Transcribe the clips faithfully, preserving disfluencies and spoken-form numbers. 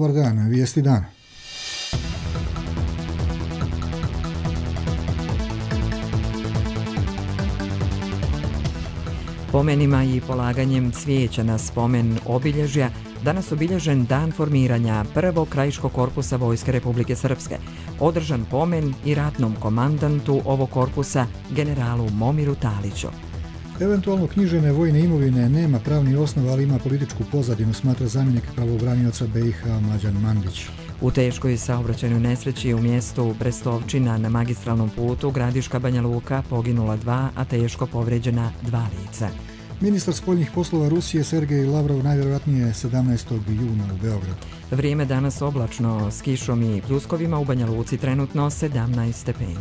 Dobar dan, vijesti dana. Pomenima i polaganjem cvijeća na spomen obilježja danas obilježen dan formiranja prvog krajiškog korpusa Vojske Republike Srpske, održan pomen i ratnom komandantu ovog korpusa, generalu Momiru Taliću. Eventualno knjižene vojne imovine nema pravni osnov, ali ima političku pozadinu, smatra zamjenik pravobranioca B i H Mlađan Mandić. U teškoj saobraćajnoj nesreći u mjestu Brestovčina na magistralnom putu Gradiška Banja Luka poginula dva, a teško povrijeđena dva lica. Ministar spoljnih poslova Rusije Sergej Lavrov najvjerojatnije sedamnaestog juna u Beogradu. Vrijeme danas oblačno s kišom i pljuskovima, u Banja Luci trenutno sedamnaest stepeni.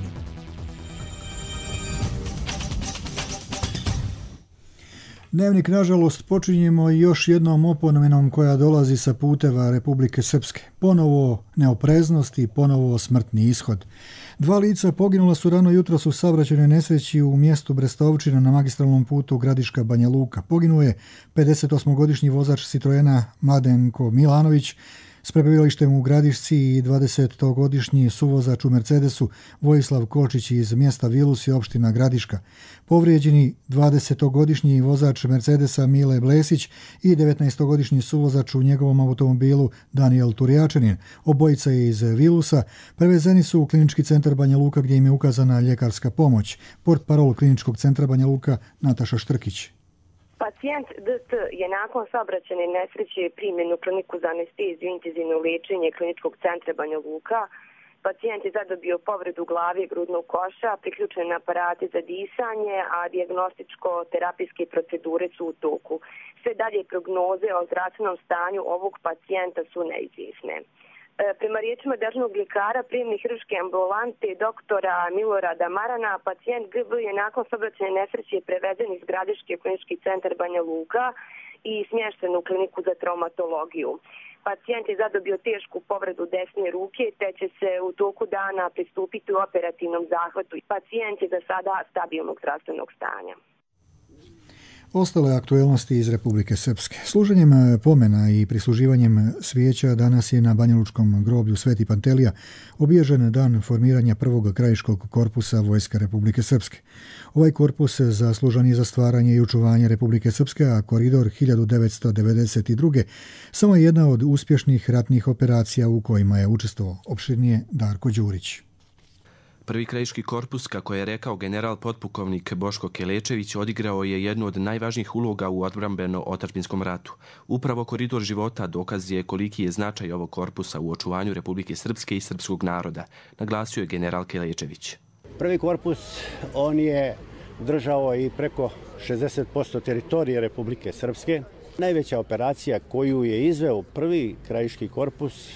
Dnevnik, nažalost, počinjemo još jednom opomenom koja dolazi sa puteva Republike Srpske. Ponovo neopreznost i ponovo smrtni ishod. Dva lica poginula su rano jutros u saobraćajnoj nesreći u mjestu Brestovčina na magistralnom putu Gradiška Banja Luka. Poginuo je pedesetosmogodišnji vozač Citroena Mladenko Milanović s prebivalištem u Gradišci i dvadesetogodišnji suvozač u Mercedesu Vojislav Kočić iz mjesta Vilus i opština Gradiška. Povrijeđeni dvadesetogodišnji vozač Mercedesa Mile Blesić i devetnaestogodišnji suvozač u njegovom automobilu Daniel Turjačanin. Obojica iz Vilusa prevezeni su u klinički centar Banja Luka gdje im je ukazana ljekarska pomoć. Portparol kliničkog centra Banja Luka Nataša Štrkić. Pacijent D T je nakon saobraćajne nesreće primljen u kliniku za anesteziju i intenzivno liječenje kliničkog centra Banja Luka. Pacijent je zadobio povredu glave i grudnog koša, priključen na aparate za disanje, a dijagnostičko-terapijske procedure su u toku. Sve dalje prognoze o zdravstvenom stanju ovog pacijenta su neizvjesne. Prema riječima državnog ljekara prijemne hirurške ambulante doktora Milorada Marana, pacijent G B je nakon saobraćajne nesreće prevezen iz Gradiške klinički centar Banja Luka i smješten u kliniku za traumatologiju. Pacijent je zadobio tešku povredu desne ruke, te će se u toku dana pristupiti u operativnom zahvatu. Pacijent je za sada stabilnog zdravstvenog stanja. Ostale aktuelnosti iz Republike Srpske. Služenjem pomena i prisluživanjem svijeća danas je na Banjalučkom groblju Sveti Pantelija obilježen dan formiranja prvog krajiškog korpusa Vojske Republike Srpske. Ovaj korpus zaslužan je za stvaranje i očuvanje Republike Srpske, a koridor hiljadu devetsto devedeset druge samo je jedna od uspješnih ratnih operacija u kojima je učestvovao. Opširnije Darko Đurić. Prvi krajiški korpus, kako je rekao general potpukovnik Boško Kelečević, odigrao je jednu od najvažnijih uloga u odbrambeno-otadžbinskom ratu. Upravo koridor života dokaz je koliki je značaj ovog korpusa u očuvanju Republike Srpske i srpskog naroda, naglasio je general Kelečević. Prvi korpus, on je držao i preko šezdeset posto teritorije Republike Srpske. Najveća operacija koju je izveo prvi krajiški korpus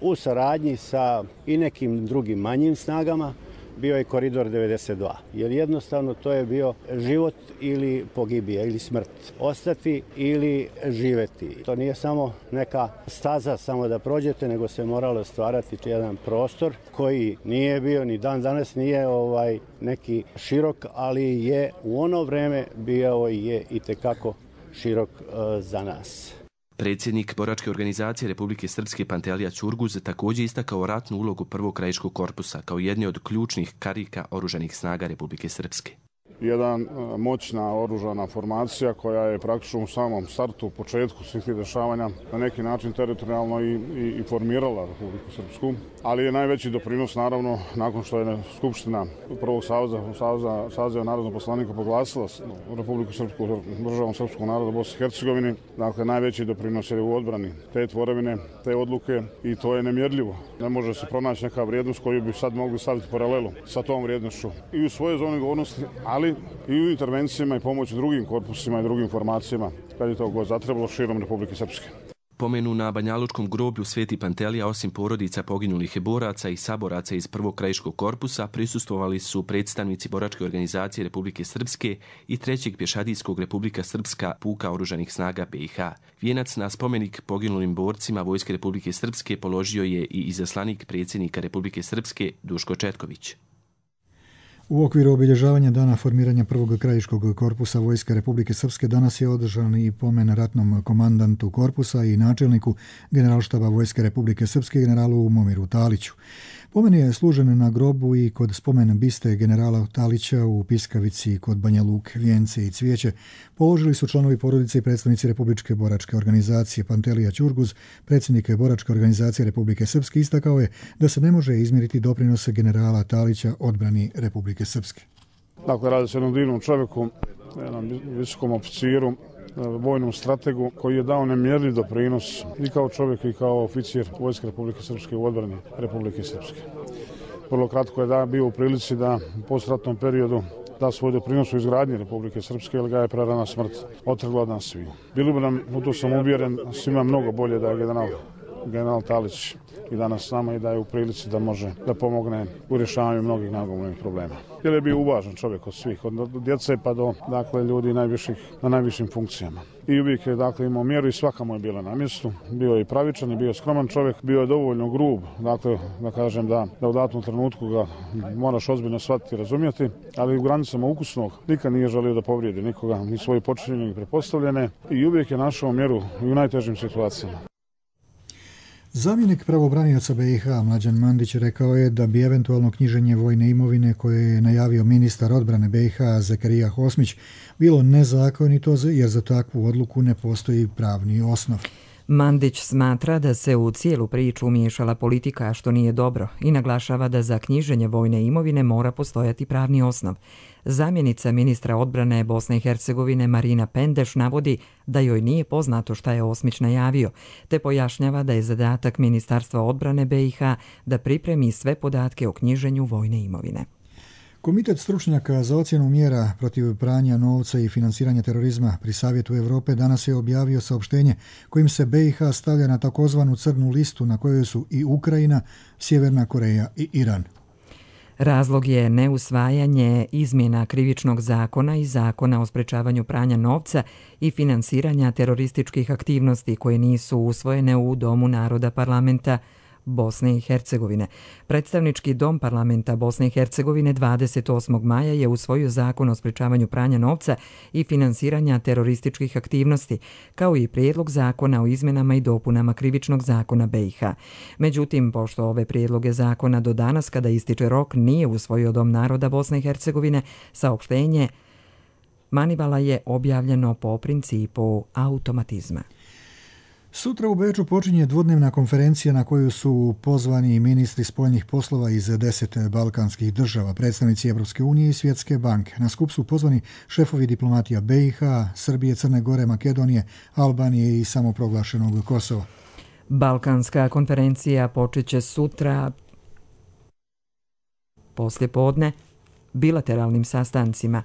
u saradnji sa i nekim drugim manjim snagama bio je koridor devedeset dva, jer jednostavno to je bio život ili pogibija ili smrt. Ostati ili živeti. To nije samo neka staza samo da prođete, nego se moralo stvarati jedan prostor koji nije bio, ni dan danas nije ovaj neki širok, ali je u ono vreme bio i je itekako širok uh, za nas. Predsjednik boračke organizacije Republike Srpske Pantelija Ćurguz također istakao ratnu ulogu prvog krajiškog korpusa kao jedne od ključnih karika oružanih snaga Republike Srpske. Jedan moćna oružana formacija koja je praktično u samom startu, u početku svih tih dešavanja na neki način teritorijalno i, i, i formirala Republiku Srpsku, ali je najveći doprinos naravno nakon što je Skupština prvog saveza, saveza, saveza narodnog poslanika proglasila Republiku Srpsku državom srpskog naroda Bosne i Hercegovine. Dakle, najveći doprinos je u odbrani te tvorevine, te odluke i to je nemjerljivo. Ne može se pronaći neka vrijednost koju bi sad mogli staviti paralelu sa tom vrijednošću i u svojoj zoni govornosti, ali i u intervencijama i pomoći drugim korpusima i drugim formacijama kad je to god zatrebalo širom Republike Srpske. Pomenu na Banjalučkom groblju Sveti Pantelija, osim porodica poginulih boraca i saboraca iz prvog krajiškog korpusa, prisustvovali su predstavnici boračke organizacije Republike Srpske i trećeg pješadijskog Republika Srpska puka oružanih snaga B i H. Vijenac na spomenik poginulim borcima Vojske Republike Srpske položio je i izaslanik predsjednika Republike Srpske Duško Četković. U okviru obilježavanja dana formiranja prvog krajiškog korpusa Vojske Republike Srpske danas je održan i pomen ratnom komandantu korpusa i načelniku Generalštaba Vojske Republike Srpske generalu Momiru Taliću. Pomen je služen na grobu i kod spomen biste generala Talića u Piskavici kod Banja Luke. Vijence i cvijeće položili su članovi porodice i predstavnici Republičke boračke organizacije. Pantelija Ćurguz, predsjednik Boračke organizacije Republike Srpske, istakao je da se ne može izmjeriti doprinos generala Talića odbrani Republike Srpske. Dakle, radi se o jednom divnom čovjeku, jednom visokom oficiru, vojnom strategu koji je dao nemjerljiv doprinos i kao čovjek i kao oficir Vojske Republike Srpske u odbrani Republike Srpske. Vrlo kratko je da bio u prilici da u postratnom periodu da svoj doprinos u izgradnji Republike Srpske, jer ga je prerana smrt otrgla od nas svih. Bilo bi nam, u to sam uvjeren, svima mnogo bolje da je general, general Talić i danas s nama i da je u prilici da može da pomogne u rješavanju mnogih nagomilanih problema. Jer je bio uvažen čovjek od svih, od djece pa do dakle, ljudi najviših, na najvišim funkcijama. I uvijek je dakle, imao mjeru i svaka mu je bila na mjestu. Bio je i pravičan i bio je skroman čovjek, bio je dovoljno grub, dakle, da kažem da, da u datom trenutku ga moraš ozbiljno shvatiti i razumjeti, ali u granicama ukusnog nikad nije želio da povrijedi nikoga, ni svoje počinjenje ni prepostavljene i uvijek je našao mjeru i u najtežim situacijama. Zamjenik pravobranioca B i H Mlađan Mandić rekao je da bi eventualno knjiženje vojne imovine koje je najavio ministar odbrane B i H Zakarija Hosmić bilo nezakonito jer za takvu odluku ne postoji pravni osnov. Mandić smatra da se u cijelu priču umiješala politika, što nije dobro, i naglašava da za knjiženje vojne imovine mora postojati pravni osnov. Zamjenica ministra odbrane Bosne i Hercegovine Marina Pendeš navodi da joj nije poznato šta je Osmić najavio, te pojašnjava da je zadatak Ministarstva odbrane B i H da pripremi sve podatke o knjiženju vojne imovine. Komitet stručnjaka za ocjenu mjera protiv pranja novca i financiranja terorizma pri Savjetu Europe danas je objavio saopštenje kojim se B i H stavlja na takozvanu crnu listu na kojoj su i Ukrajina, Sjeverna Koreja i Iran. Razlog je neusvajanje izmjena krivičnog zakona i zakona o sprečavanju pranja novca i finansiranja terorističkih aktivnosti koje nisu usvojene u Domu naroda parlamenta Bosne i Hercegovine. Predstavnički dom parlamenta Bosne i Hercegovine dvadeset osmog maja je usvojio zakon o sprečavanju pranja novca i finansiranja terorističkih aktivnosti, kao i prijedlog zakona o izmjenama i dopunama krivičnog zakona B i H. Međutim, pošto ove prijedloge zakona do danas, kada ističe rok, nije usvojio Dom naroda Bosne i Hercegovine, saopštenje Manivala je objavljeno po principu automatizma. Sutra u Beču počinje dvodnevna konferencija na koju su pozvani ministri spoljnih poslova iz deset balkanskih država, predstavnici Evropske unije i Svjetske banke. Na skup su pozvani šefovi diplomatija B i H, Srbije, Crne Gore, Makedonije, Albanije i samoproglašenog Kosova. Balkanska konferencija počeće sutra poslje podne bilateralnim sastancima,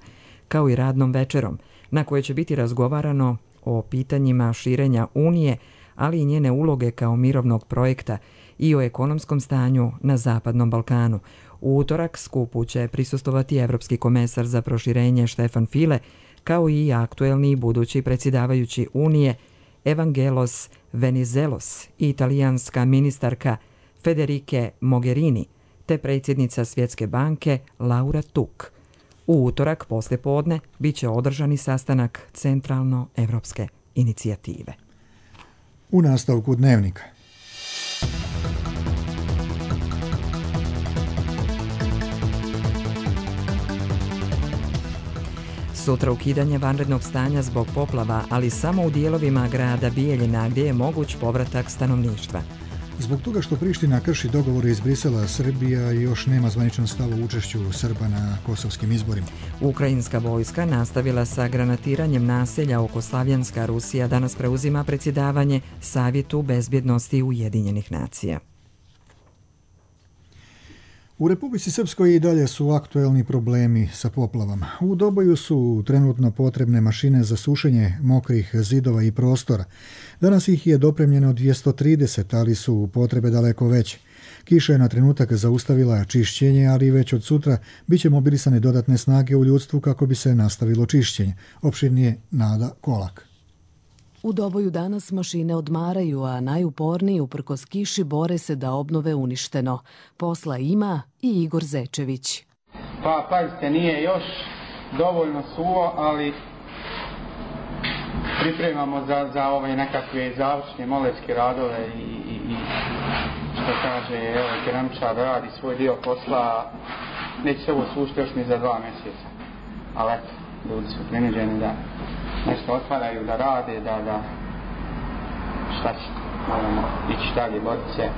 kao i radnom večerom, na kojoj će biti razgovarano o pitanjima širenja Unije, ali i njene uloge kao mirovnog projekta i o ekonomskom stanju na Zapadnom Balkanu. U utorak skupu će prisustovati Evropski komesar za proširenje Štefan File, kao i aktuelni i budući predsjedavajući Unije Evangelos Venizelos i italijanska ministarka Federike Mogherini, te predsjednica Svjetske banke Laura Tuk. U utorak poslje podne bit će održani sastanak Centralno-evropske inicijative. U nastavku dnevnika. Sutra ukidanje vanrednog stanja zbog poplava, ali samo u dijelovima grada Bijeljina gdje je moguć povratak stanovništva. Zbog toga što Priština krši dogovore iz Brisela, Srbija još nema zvaničan stav o učešću Srba na kosovskim izborima. Ukrajinska vojska nastavila sa granatiranjem naselja oko Slavjanska. Rusija danas preuzima predsjedavanje Savjetu bezbjednosti Ujedinjenih nacija. U Republici Srpskoj i dalje su aktuelni problemi sa poplavama. U Doboju su trenutno potrebne mašine za sušenje mokrih zidova i prostora. Danas ih je dopremljeno dvjesto trideset, ali su potrebe daleko veće. Kiša je na trenutak zaustavila čišćenje, ali već od sutra bit će mobilisane dodatne snage u ljudstvu kako bi se nastavilo čišćenje. Opširnije Nada Kolak. U Doboju danas mašine odmaraju, a najuporniji uprkos kiši bore se da obnove uništeno. Posla ima i Igor Zečević. Pa, pazite, nije još dovoljno suvo, ali pripremamo za, za ove nekakve završne moletske radove i, i, i što kaže, evo, keramičar radi svoj dio posla, neće se ovo sušiti još ni za dva mjeseca. Ali eto, ljudi su prinuđeni da nešto otvaraju, da rade, da, da šta će, moramo ići dalje, boriti se.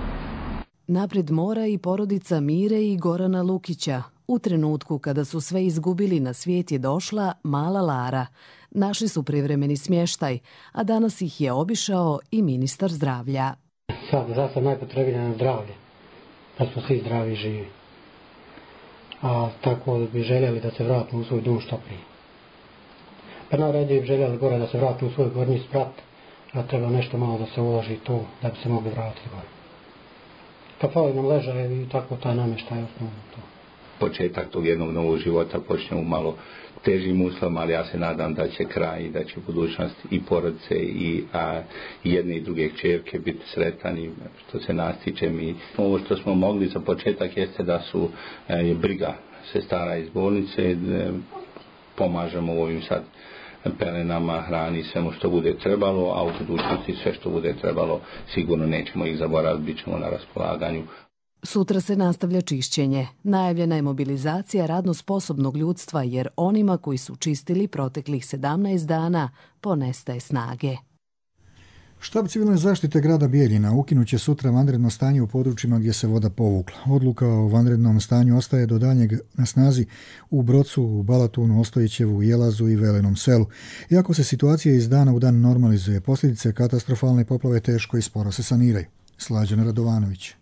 Napred mora i porodica Mire i Gorana Lukića. U trenutku kada su sve izgubili, na svijet je došla mala Lara. Našli su privremeni smještaj, a danas ih je obišao i ministar zdravlja. Sad, za sad najpotrebnije na zdravlje, da smo svi zdravi i živi. A tako bi željeli da se vratimo u svoj dom što prije. Pa najradije bi željeli gore da se vratimo u svoj gornji sprat, a treba nešto malo da se uloži tu da bi se mogli vratiti gore. Pa fali nam ležaje i tako taj namještaj je osnovno to. Početak tog jednog novog života počne u malo težim uslovima, ali ja se nadam da će kraj i da će budućnost i porodice i a, jedne i druge kćerke biti sretani. Što se nas tiče, mi ovo što smo mogli za početak jeste da su je briga sestara iz bolnice, e, pomažemo ovim sad pelenama, hrani, svemu što bude trebalo, a u budućnosti sve što bude trebalo sigurno nećemo ih zaboraviti, bit ćemo na raspolaganju. Sutra se nastavlja čišćenje. Najavljena je mobilizacija radno sposobnog ljudstva jer onima koji su čistili proteklih sedamnaest dana ponestaje snage. Štab civilne zaštite grada Bijeljina ukinut će sutra vanredno stanje u područjima gdje se voda povukla. Odluka o vanrednom stanju ostaje do daljnjeg na snazi u Brocu, u Balatunu, Ostojićevu, Jelazu i Velenom selu. Iako se situacija iz dana u dan normalizuje, posljedice katastrofalne poplave teško i sporo se saniraju. Slađana Radovanović.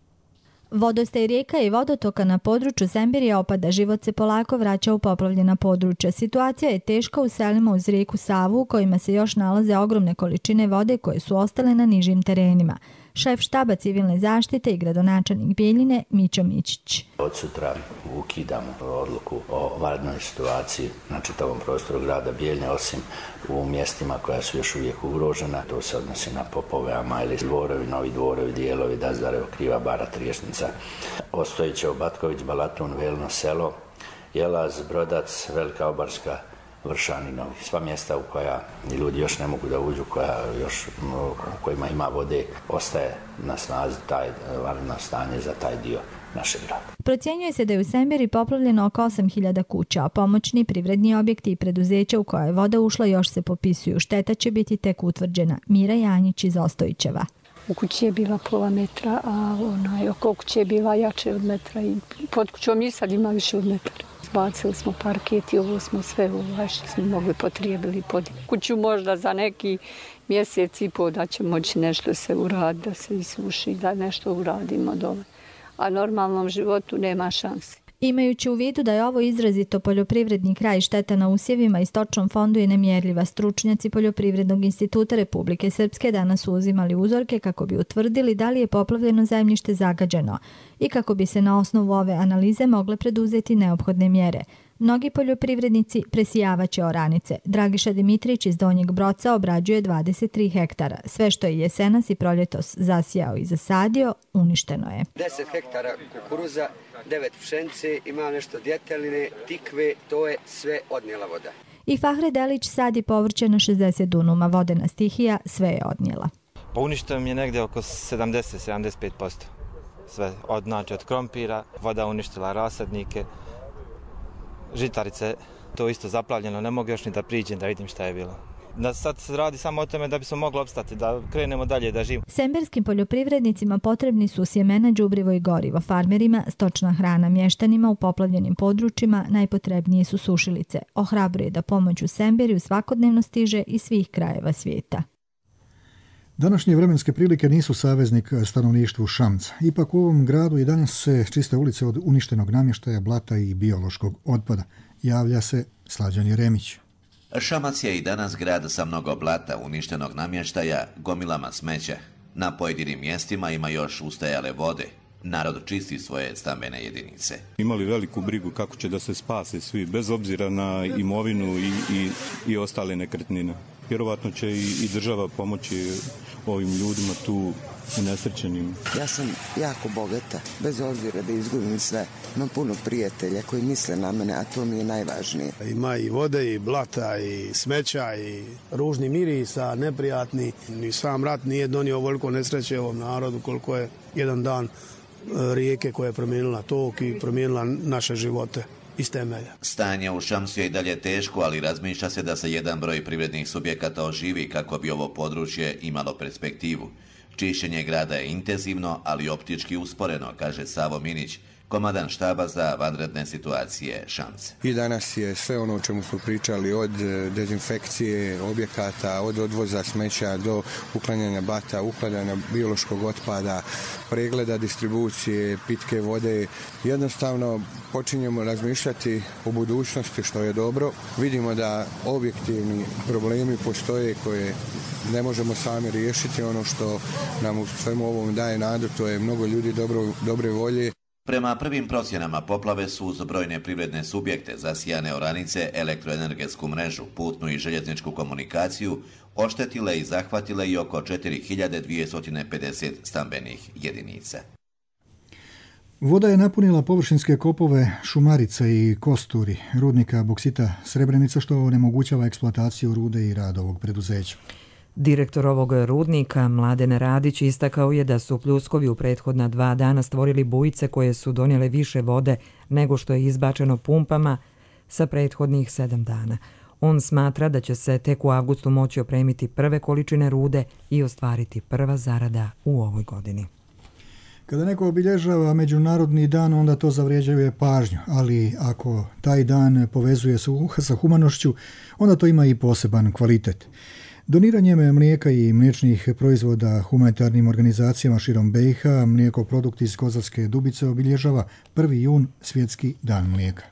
Vodostaj rijeka i vodotoka na području Sembirija opada, život se polako vraća u poplavljena područja. Situacija je teška u selima uz rijeku Savu u kojima se još nalaze ogromne količine vode koje su ostale na nižim terenima. Šef štaba civilne zaštite i gradonačelnik Bijeljine Mićo Mićić. Od sutra ukidamo odluku o vanrednoj situaciji na čitavom prostoru grada Bijeljine, osim u mjestima koja su još uvijek ugrožena. To se odnosi na Popove, Amajli, Dvorovi, Novi Dvorovi, Dijelovi, Dazarevo, Kriva Bara, Triješnica, Ostojićevo, Batković, Balatun, Velno selo, Jelaz, Brodac, Velika Obarska, Vršan i Novi. Sva mjesta u koja ljudi još ne mogu da uđu, koja još, u kojima ima vode, ostaje na snazi taj vanredno stanje za taj dio našeg grada. Procjenjuje se da je u Sembiri poplavljeno oko osam hiljada kuća, a pomoćni privredni objekti i preduzeća u koje je voda ušla još se popisuju. Šteta će biti tek utvrđena. Mira Janjić iz Ostojićeva. U kući je bila pola metra, a onaj oko kuće je bila jače od metra i pod kućom i sad ima više od metra. Bacili smo parket i ovo smo sve ovaj što smo mogli potrijebili pod kuću možda za neki mjesec i pol da će moći nešto se uraditi, da se isuši, da nešto uradimo dole. A normalnom životu nema šanse. Imajući u vidu da je ovo izrazito poljoprivredni kraj, šteta na usjevima i stočnom fondu je nemjerljiva. Stručnjaci Poljoprivrednog instituta Republike Srpske danas su uzimali uzorke kako bi utvrdili da li je poplavljeno zemljište zagađeno i kako bi se na osnovu ove analize mogle preduzeti neophodne mjere. Mnogi poljoprivrednici presijavaće oranice. Dragiša Dimitrić iz Donjeg Broca obrađuje dvadeset tri hektara. Sve što je jesenas i proljetos zasijao i zasadio, uništeno je. deset hektara kukuruza, devet pšenice, ima nešto djeteline, tikve, to je sve odnijela voda. I Fahre Delić sadi povrće na šezdeset dunuma. Vodena stihija sve je odnijela. Pa uništeno mi je negdje oko sedamdeset do sedamdeset pet posto. Sve od, znači, od krompira, voda uništila rasadnike, žitarice, to isto zaplavljeno, ne mogu još ni da priđem da vidim šta je bilo. Da sad se radi samo o tome da bi smo mogli opstati, da krenemo dalje da živimo. Semberskim poljoprivrednicima potrebni su sjemena, đubrivo i gorivo, farmerima stočna hrana, mještanima u poplavljenim područjima najpotrebnije su sušilice. Ohrabruje da pomoć u Semberiju svakodnevno stiže iz svih krajeva svijeta. Današnje vremenske prilike nisu saveznik stanovništvu Šamca. Ipak u ovom gradu i danas se čiste ulice od uništenog namještaja, blata i biološkog otpada. Javlja se Slađan Jeremić. Šamac je i danas grad sa mnogo blata, uništenog namještaja, gomilama smeća. Na pojedinim mjestima ima još ustajale vode. Narod čisti svoje stambene jedinice. Imali veliku brigu kako će da se spase svi, bez obzira na imovinu i, i, i ostale nekretnine. vjerovatno će i, i država pomoći ovim ljudima tu unesrećenim. Ja sam jako bogata, bez obzira da izgubim sve. Imam puno prijatelja koji misle na mene, a to mi je najvažnije. Ima i vode, i blata, i smeća, i ružni mirisa, neprijatni. Ni sam rat nije donio ovoliko nesreće ovom narodu koliko je jedan dan rijeke koja je promijenila tok i promijenila naše živote iz temelja. Stanje u Šamsu je i dalje teško, ali razmišlja se da se jedan broj privrednih subjekata oživi kako bi ovo područje imalo perspektivu. Čišćenje grada je intenzivno, ali optički usporeno, kaže Savo Minić, komandan štaba za vanredne situacije Šamce. I danas je sve ono o čemu smo pričali, od dezinfekcije objekata, od odvoza smeća do uklanjanja blata, uklanjanja biološkog otpada, pregleda distribucije, pitke vode. Jednostavno počinjemo razmišljati o budućnosti, što je dobro. Vidimo da objektivni problemi postoje koje ne možemo sami riješiti. Ono što nam u svemu ovom daje nadu, to je mnogo ljudi dobro, dobre volje. Prema prvim procjenama, poplave su uz brojne privredne subjekte, zasijane oranice, elektroenergetsku mrežu, putnu i željezničku komunikaciju, oštetile i zahvatile i oko četiri hiljade dvjesto pedeset stambenih jedinica. Voda je napunila površinske kopove Šumarica i Kosturi, rudnika boksita Srebrenica, što onemogućava eksploataciju rude i rad ovog preduzeća. Direktor ovog rudnika, Mladen Radić, istakao je da su pljuskovi u prethodna dva dana stvorili bujice koje su donijele više vode nego što je izbačeno pumpama sa prethodnih sedam dana. On smatra da će se tek u avgustu moći opremiti prve količine rude i ostvariti prva zarada u ovoj godini. Kada neko obilježava Međunarodni dan, onda to zavređuje pažnju, ali ako taj dan povezuje sa humanošću, onda to ima i poseban kvalitet. Doniranjem mlijeka i mliječnih proizvoda humanitarnim organizacijama širom B i H, Mlijeko produkt iz Kozarske Dubice obilježava prvi jun, svjetski dan mlijeka.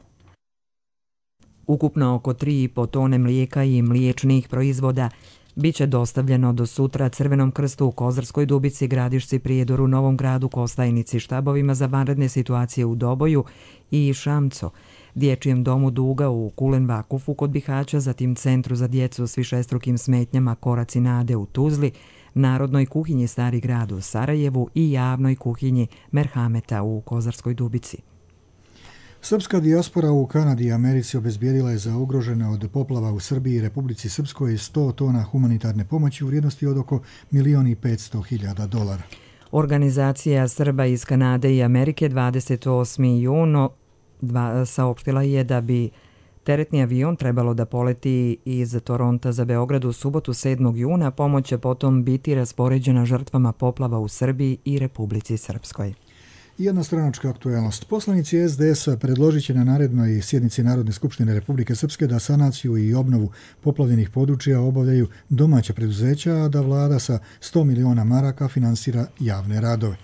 Ukupno oko tri i po tone mlijeka i mliječnih proizvoda biće dostavljeno do sutra Crvenom krstu u Kozarskoj Dubici, Gradišci, Prijedoru, Novom Gradu, Kostajnici, štabovima za vanredne situacije u Doboju i Šamco, Dječjem domu Duga u Kulen Vakufu kod Bihaća, zatim Centru za djecu s višestrukim smetnjama Koraci nade u Tuzli, Narodnoj kuhinji Stari grad u Sarajevu i Javnoj kuhinji Merhameta u Kozarskoj Dubici. Srpska dijaspora u Kanadi i Americi obezbijedila je za ugrožene od poplava u Srbiji i Republici Srpskoj sto tona humanitarne pomoći u vrijednosti od oko milion i petsto hiljada dolara. Organizacija Srba iz Kanade i Amerike dvadeset osmi jun saopštila je da bi teretni avion trebalo da poleti iz Toronta za Beograd u subotu sedmog juna. Pomoć će potom biti raspoređena žrtvama poplava u Srbiji i Republici Srpskoj. Jedna stranačka aktuelnost. Poslanici S D S-a predložit će na narednoj sjednici Narodne skupštine Republike Srpske da sanaciju i obnovu poplavljenih područja obavljaju domaća preduzeća, a da vlada sa sto miliona maraka finansira javne radove.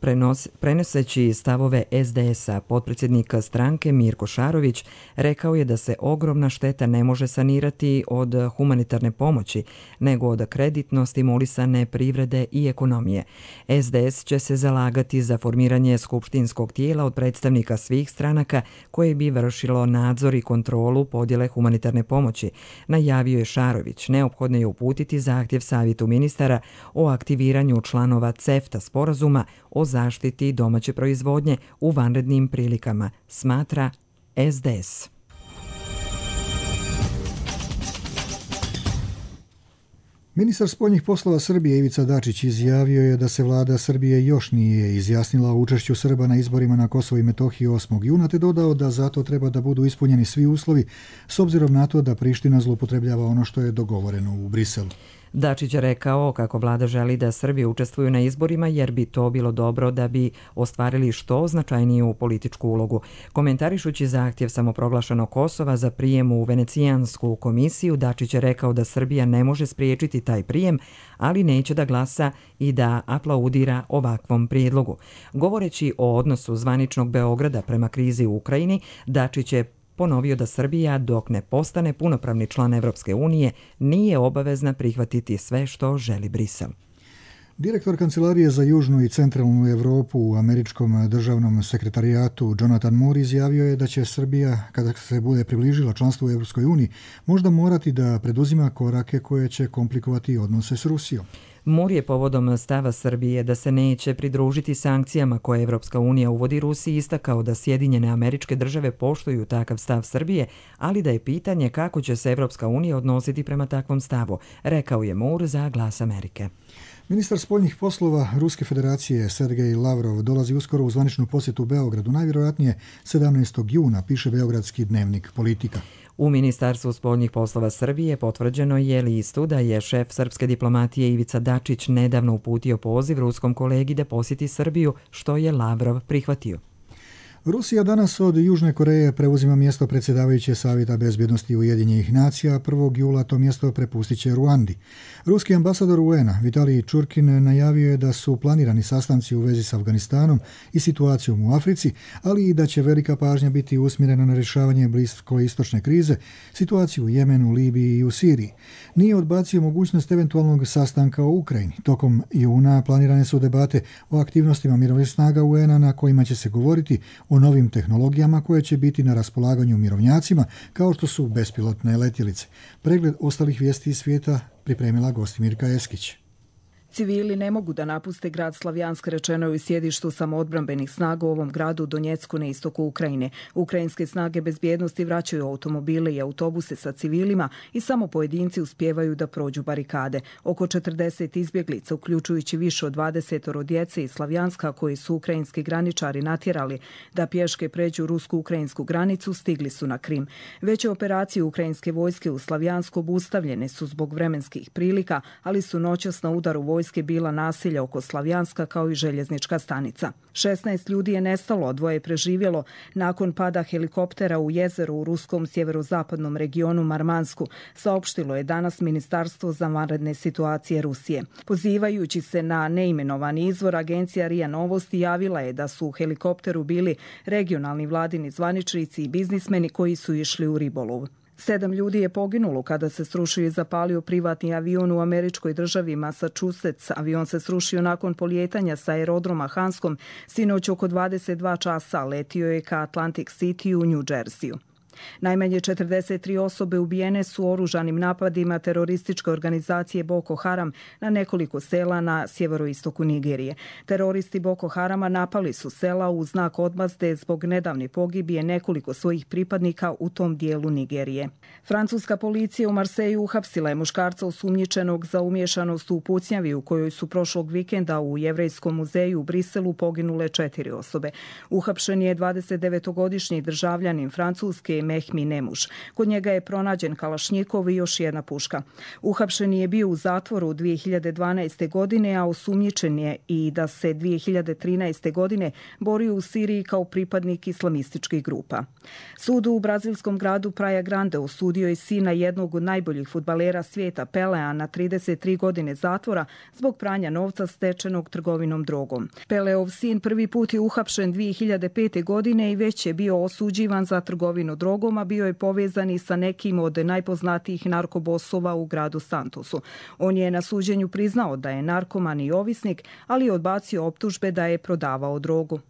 Prenos, prenoseći stavove S D S-a, potpredsjednik stranke Mirko Šarović rekao je da se ogromna šteta ne može sanirati od humanitarne pomoći, nego od kreditno stimulisane privrede i ekonomije. S D S će se zalagati za formiranje skupštinskog tijela od predstavnika svih stranaka koje bi vršilo nadzor i kontrolu podjele humanitarne pomoći. Najavio je Šarović, neophodno je uputiti zahtjev savjetu ministara o aktiviranju članova CEFTA sporazuma o zaštiti domaće proizvodnje u vanrednim prilikama, smatra S D S. Ministar spoljnih poslova Srbije Ivica Dačić izjavio je da se vlada Srbije još nije izjasnila o učešću Srba na izborima na Kosovo i Metohiji osmog juna, te dodao da zato treba da budu ispunjeni svi uslovi s obzirom na to da Priština zloupotrebljava ono što je dogovoreno u Briselu. Dačić je rekao kako vlada želi da Srbi učestvuju na izborima jer bi to bilo dobro da bi ostvarili što značajniju političku ulogu. Komentarišući zahtjev samoproglašenog Kosova za prijem u Venecijansku komisiju, Dačić je rekao da Srbija ne može spriječiti taj prijem, ali neće da glasa i da aplaudira ovakvom prijedlogu. Govoreći o odnosu zvaničnog Beograda prema krizi u Ukrajini, Dačić je ponovio da Srbija, dok ne postane punopravni član Evropske unije, nije obavezna prihvatiti sve što želi Brisel. Direktor Kancelarije za južnu i centralnu Europu u američkom državnom sekretarijatu Jonathan Moore izjavio je da će Srbija, kada se bude približila članstvu u Europskoj uniji, možda morati da preduzima korake koje će komplikovati odnose s Rusijom. Moore je povodom stava Srbije da se neće pridružiti sankcijama koje Evropska unija uvodi Rusiji istakao da Sjedinjene Američke Države poštuju takav stav Srbije, ali da je pitanje kako će se Evropska unija odnositi prema takvom stavu, rekao je Moore za Glas Amerike. Ministar spoljnih poslova Ruske federacije Sergej Lavrov dolazi uskoro u zvaničnu posjetu Beogradu, najvjerojatnije sedamnaestog juna, piše beogradski dnevnik Politika. U Ministarstvu spoljnih poslova Srbije potvrđeno je listu da je šef srpske diplomatije Ivica Dačić nedavno uputio poziv ruskom kolegi da posjeti Srbiju, što je Lavrov prihvatio. Rusija danas od Južne Koreje preuzima mjesto predsjedavajuće Savjeta bezbjednosti Ujedinjenih nacija, prvog jula to mjesto prepustit će Ruandi. Ruski ambasador U N-a Vitalij Čurkin najavio je da su planirani sastanci u vezi s Afganistanom i situacijom u Africi, ali i da će velika pažnja biti usmjerena na rješavanje bliskoistočne krize, situaciju u Jemenu, Libiji i u Siriji. Nije odbacio mogućnost eventualnog sastanka o Ukrajini. Tokom juna planirane su debate o aktivnostima mirovnih snaga U N-a na kojima će se govoriti o novim tehnologijama koje će biti na raspolaganju mirovnjacima, kao što su bespilotne letjelice. Pregled ostalih vijesti iz svijeta pripremila Gostimirka Eskić. Civili ne mogu da napuste grad Slavjansk, rečeno je u sjedištu samoodbrambenih snaga u ovom gradu Donjecku na istoku Ukrajine. Ukrajinske snage bezbjednosti vraćaju automobile i autobuse sa civilima i samo pojedinci uspijevaju da prođu barikade. Oko četrdeset izbjeglica, uključujući više od dvadeset djece iz Slavjanska koji su ukrajinski graničari natjerali da pješke pređu rusko-ukrajinsku granicu, stigli su na Krim. Veće operacije ukrajinske vojske u Slavjansku obustavljene su zbog vremenskih prilika, ali su noćas na udaru vojske bila nasilja oko Slavjanska kao i željeznička stanica. šesnaest ljudi je nestalo, a dvoje je preživjelo nakon pada helikoptera u jezeru u ruskom sjeverozapadnom regionu Marmansku, saopštilo je danas Ministarstvo za vanredne situacije Rusije. Pozivajući se na neimenovani izvor, agencija R I A Novosti javila je da su u helikopteru bili regionalni vladini zvaničnici i biznismeni koji su išli u ribolov. Sedam ljudi je poginulo kada se srušio i zapalio privatni avion u američkoj državi Massachusetts. Avion se srušio nakon polijetanja sa aerodroma Hanscom sinoć oko dvadeset dva časa. Letio je ka Atlantic City u New Jerseyu. Najmanje četrdeset tri osobe ubijene su oružanim napadima terorističke organizacije Boko Haram na nekoliko sela na sjeveroistoku Nigerije. Teroristi Boko Harama napali su sela u znak odmazde zbog nedavne pogibije nekoliko svojih pripadnika u tom dijelu Nigerije. Francuska policija u Marseju uhapsila je muškarca osumnjičenog za umiješanost u pucnjavi u kojoj su prošlog vikenda u Jevrejskom muzeju u Briselu poginule četiri osobe. Uhapšen je dvadesetdevetogodišnji državljanin Francuske Mehmi Nemuš. Kod njega je pronađen kalašnjikov i još jedna puška. Uhapšen je bio u zatvoru dvije hiljade dvanaeste. godine, a osumnjičen je i da se dvije hiljade trinaeste. godine borio u Siriji kao pripadnik islamističkih grupa. Sud u brazilskom gradu Praia Grande osudio je sina jednog od najboljih fudbalera svijeta Pelea na trideset tri godine zatvora zbog pranja novca stečenog trgovinom drogom. Peleov sin prvi put je uhapšen dvije hiljade pete. godine i već je bio osuđivan za trgovinu drogom, a bio je povezan i sa nekim od najpoznatijih narkobosova u gradu Santosu. On je na suđenju priznao da je narkoman i ovisnik, ali je odbacio optužbe da je prodavao drogu.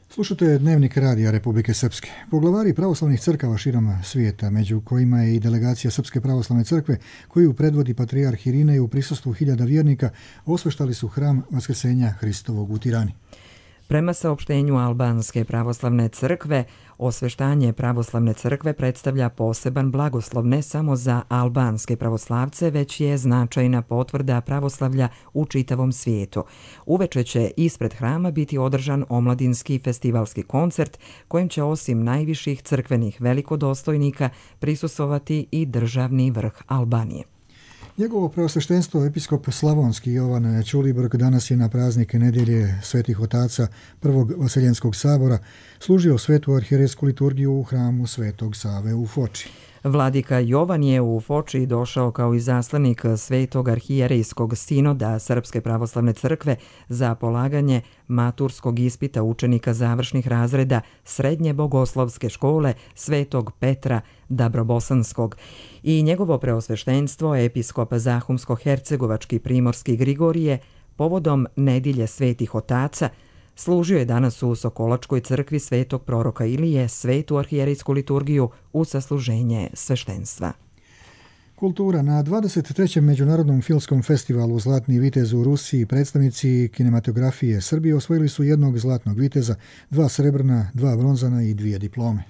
Slušate Dnevnik radija Republike Srpske. Poglavari pravoslavnih crkava širom svijeta, među kojima je i delegacija Srpske pravoslavne crkve, koju predvodi patrijarh Irinej u prisustvu hiljada vjernika, osveštali su hram Vaskrsenja Hristovog u Tirani. Prema saopštenju Albanske pravoslavne crkve, osveštanje pravoslavne crkve predstavlja poseban blagoslov ne samo za albanske pravoslavce, već je značajna potvrda pravoslavlja u čitavom svijetu. Uveče će ispred hrama biti održan omladinski festivalski koncert, kojim će osim najviših crkvenih velikodostojnika prisustvovati i državni vrh Albanije. Njegovo preosveštenstvo episkop Slavonski Jovan Ćulibrk danas je na praznik nedjelje Svetih otaca Prvog Vaseljenskog sabora služio svetu arhijerejsku liturgiju u hramu Svetog Save u Foči. Vladika Jovan je u Foči došao kao izaslanik Svetog arhijerejskog sinoda Srpske pravoslavne crkve za polaganje maturskog ispita učenika završnih razreda Srednje bogoslovske škole Svetog Petra Dabrobosanskog i njegovo preosveštenstvo episkop Zahumsko-hercegovački primorski Grigorije povodom Nedilje svetih otaca služio je danas u Sokolačkoj crkvi Svetog proroka Ilije svetu arhijerejsku liturgiju u sasluženje sveštenstva. Kultura. Na dvadeset trećem Međunarodnom filmskom festivalu Zlatni vitez u Rusiji predstavnici kinematografije Srbije osvojili su jednog zlatnog viteza, dva srebrna, dva bronzana i dvije diplome.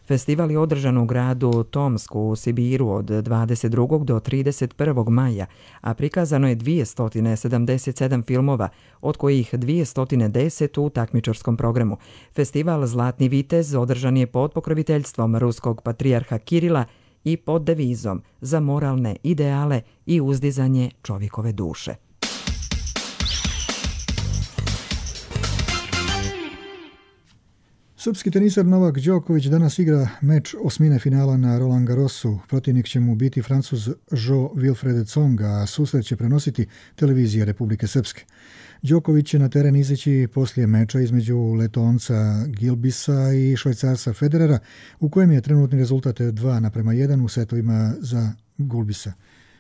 Festival je održan u gradu Tomsku u Sibiru od dvadeset drugog do trideset prvog maja, a prikazano je dvjesto sedamdeset sedam filmova, od kojih dvjesto deset u takmičarskom programu. Festival Zlatni vitez održan je pod pokroviteljstvom ruskog patrijarha Kirila i pod devizom za moralne ideale i uzdizanje čovjekove duše. Srpski tenisar Novak Đoković danas igra meč osmine finala na Roland Garrosu. Protivnik će mu biti Francuz Jo Wilfried Tsong, a susret će prenositi televizija Republike Srpske. Đoković će na teren izaći poslije meča između Letonca Gilbisa i Švajcarca Federera, u kojem je trenutni rezultat dva naprema jedan u setovima za Gulbisa.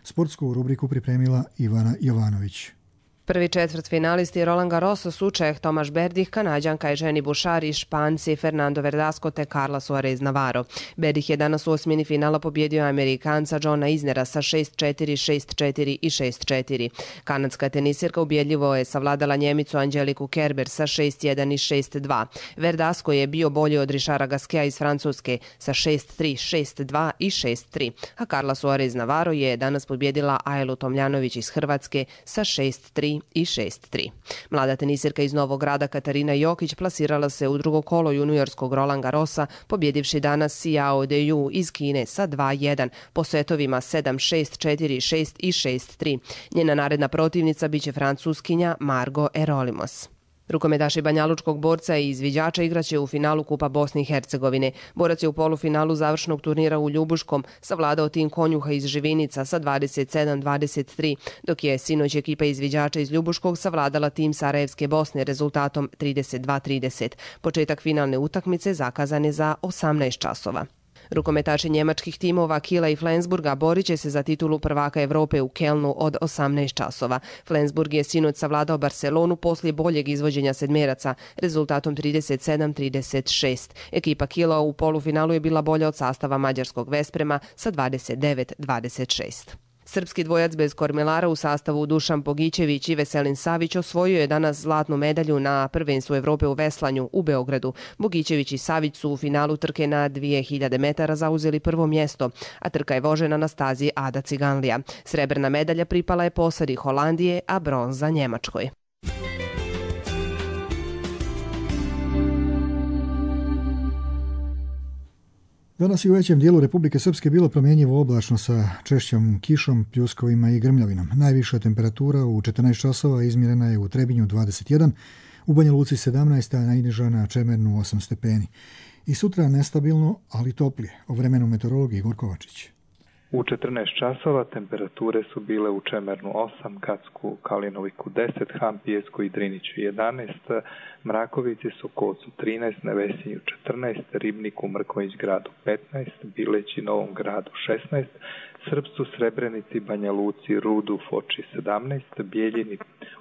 Sportsku rubriku pripremila Ivana Jovanović. Prvi četvrt finalisti Roland Garrosa su Čeh Tomaš Berdih, Kanađanka Evženi Bušar i Španci Fernando Verdasco te Carla Suarez Navarro. Berdih je danas u osmini finala pobjedio Amerikanca Johna Isnera sa šest četiri, šest četiri i šest četiri. Kanadska tenisirka ubjedljivo je savladala Njemicu Angeliku Kerber sa šest jedan i šest dva. Verdasco je bio bolji od Richarda Gasqueta iz Francuske sa šest tri, šest dva i šest tri. A Carla Suarez Navarro je danas pobjedila Ajlu Tomljanović iz Hrvatske sa šest tri i šest tri. Mlada tenisirka iz Novog Grada Katarina Jokić plasirala se u drugo kolo juniorskog Roland Garrosa, pobjedivši danas Xiao Deyu iz Kine sa dva jedan po setovima sedam šest, četiri šest i šest tri. Njena naredna protivnica biće Francuskinja Margo Erolimos. Rukometaši banjalučkog borca i izviđača igraće u finalu Kupa Bosne i Hercegovine. Borac je u polufinalu završnog turnira u Ljubuškom savladao tim konjuha iz Živinica sa dvadeset sedam dvadeset tri, dok je sinoć ekipa izviđača iz Ljubuškog savladala tim Sarajevske Bosne rezultatom trideset dva trideset. Početak finalne utakmice zakazan je za osamnaest časova. Rukometaši njemačkih timova Kiela i Flensburga borit će se za titulu prvaka Evrope u Kelnu od osamnaest časova. Flensburg je sinoć savladao Barcelonu poslije boljeg izvođenja sedmeraca rezultatom trideset sedam trideset šest. Ekipa Kiela u polufinalu je bila bolja od sastava mađarskog Vesprema sa dvadeset devet dvadeset šest. Srpski dvojac bez kormilara u sastavu Dušan Pogićević i Veselin Savić osvojio je danas zlatnu medalju na prvenstvu Evrope u veslanju u Beogradu. Bogićević i Savić su u finalu trke na dvije hiljade metara zauzeli prvo mjesto, a trka je vožena na stazi Ada Ciganlija. Srebrna medalja pripala je posadi Holandije, a bronza Njemačkoj. Danas je u većem dijelu Republike Srpske bilo promjenjivo oblačno sa češćom kišom, pljuskovima i grmljavinom. Najviša temperatura u četrnaest časova izmjerena je u Trebinju dvadeset jedan, u Banja Luci sedamnaest, a najniža na Čemernu osam stepeni. I sutra nestabilno, ali toplije. O vremenu meteorolog Igor Kovačić. U četrnaest časova temperature su bile u Čemernu osam, Kacku, Kalinoviku deset, Hampijesku i Driniću jedanaest, Mrakovici, Sokolcu trinaest, Nevesinju četrnaest, Ribniku, Mrkonjić gradu petnaest, Bileći, Novom gradu šesnaest, Srpcu, Srebrenici, Banja Luci, Rudu, Foči sedamnaest, Bijeljini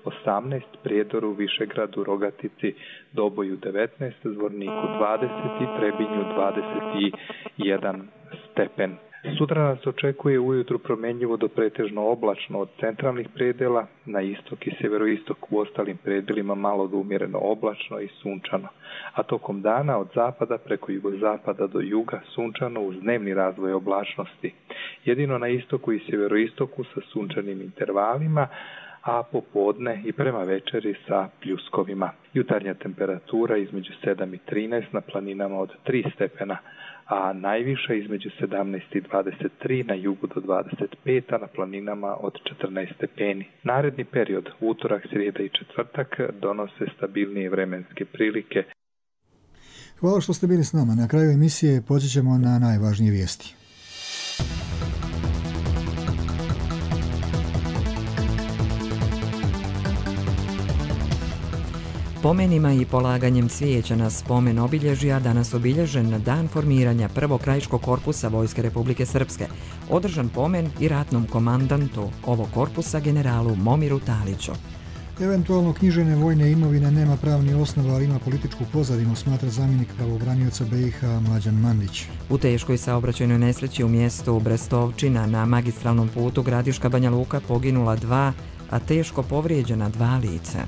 osamnaest, Prijedoru, Višegradu, Rogatici, Doboju devetnaest, Zvorniku dvadeset i Trebinju dvadeset jedan stepen. Sutra nas očekuje ujutru promjenjivo do pretežno oblačno od centralnih predela, na istok i sjeveroistok u ostalim predelima malo do umjereno oblačno i sunčano, a tokom dana od zapada preko jugozapada do juga sunčano uz dnevni razvoj oblačnosti. Jedino na istoku i sjeveroistoku sa sunčanim intervalima, a popodne i prema večeri sa pljuskovima. Jutarnja temperatura između sedam i trinaest, na planinama od tri stepena, a najviša između sedamnaest i dvadeset tri, na jugu do dvadeset pet, a na planinama od četrnaest stepeni. Naredni period, utorak, srijeda i četvrtak, donose stabilnije vremenske prilike. Hvala što ste bili s nama. Na kraju emisije podsjećamo na najvažnije vijesti. Pomenima i polaganjem cvijeća na spomen obilježja danas obilježen dan formiranja prvog krajiškog korpusa Vojske Republike Srpske, održan pomen i ratnom komandantu ovog korpusa generalu Momiru Taliću. Eventualno knjižene vojne imovine nema pravni osnova, ali ima političku pozadinu, smatra zamjenik pravobranioca B i H Mlađan Mandić. U teškoj saobraćajnoj nesreći u mjestu Brestovčina na magistralnom putu Gradiška Banja Luka poginula dva, a teško povrijeđena dva lica.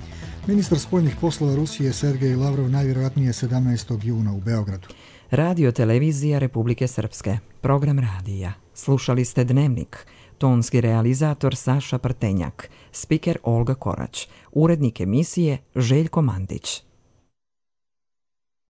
Ministar spoljnih poslova Rusije Sergej Lavrov najvjerojatnije sedamnaestog juna u Beogradu. Radio televizija Republike Srpske. Program radija. Slušali ste Dnevnik. Tonski realizator Saša Prtenjak. Spiker Olga Korać. Urednik emisije Željko Mandić.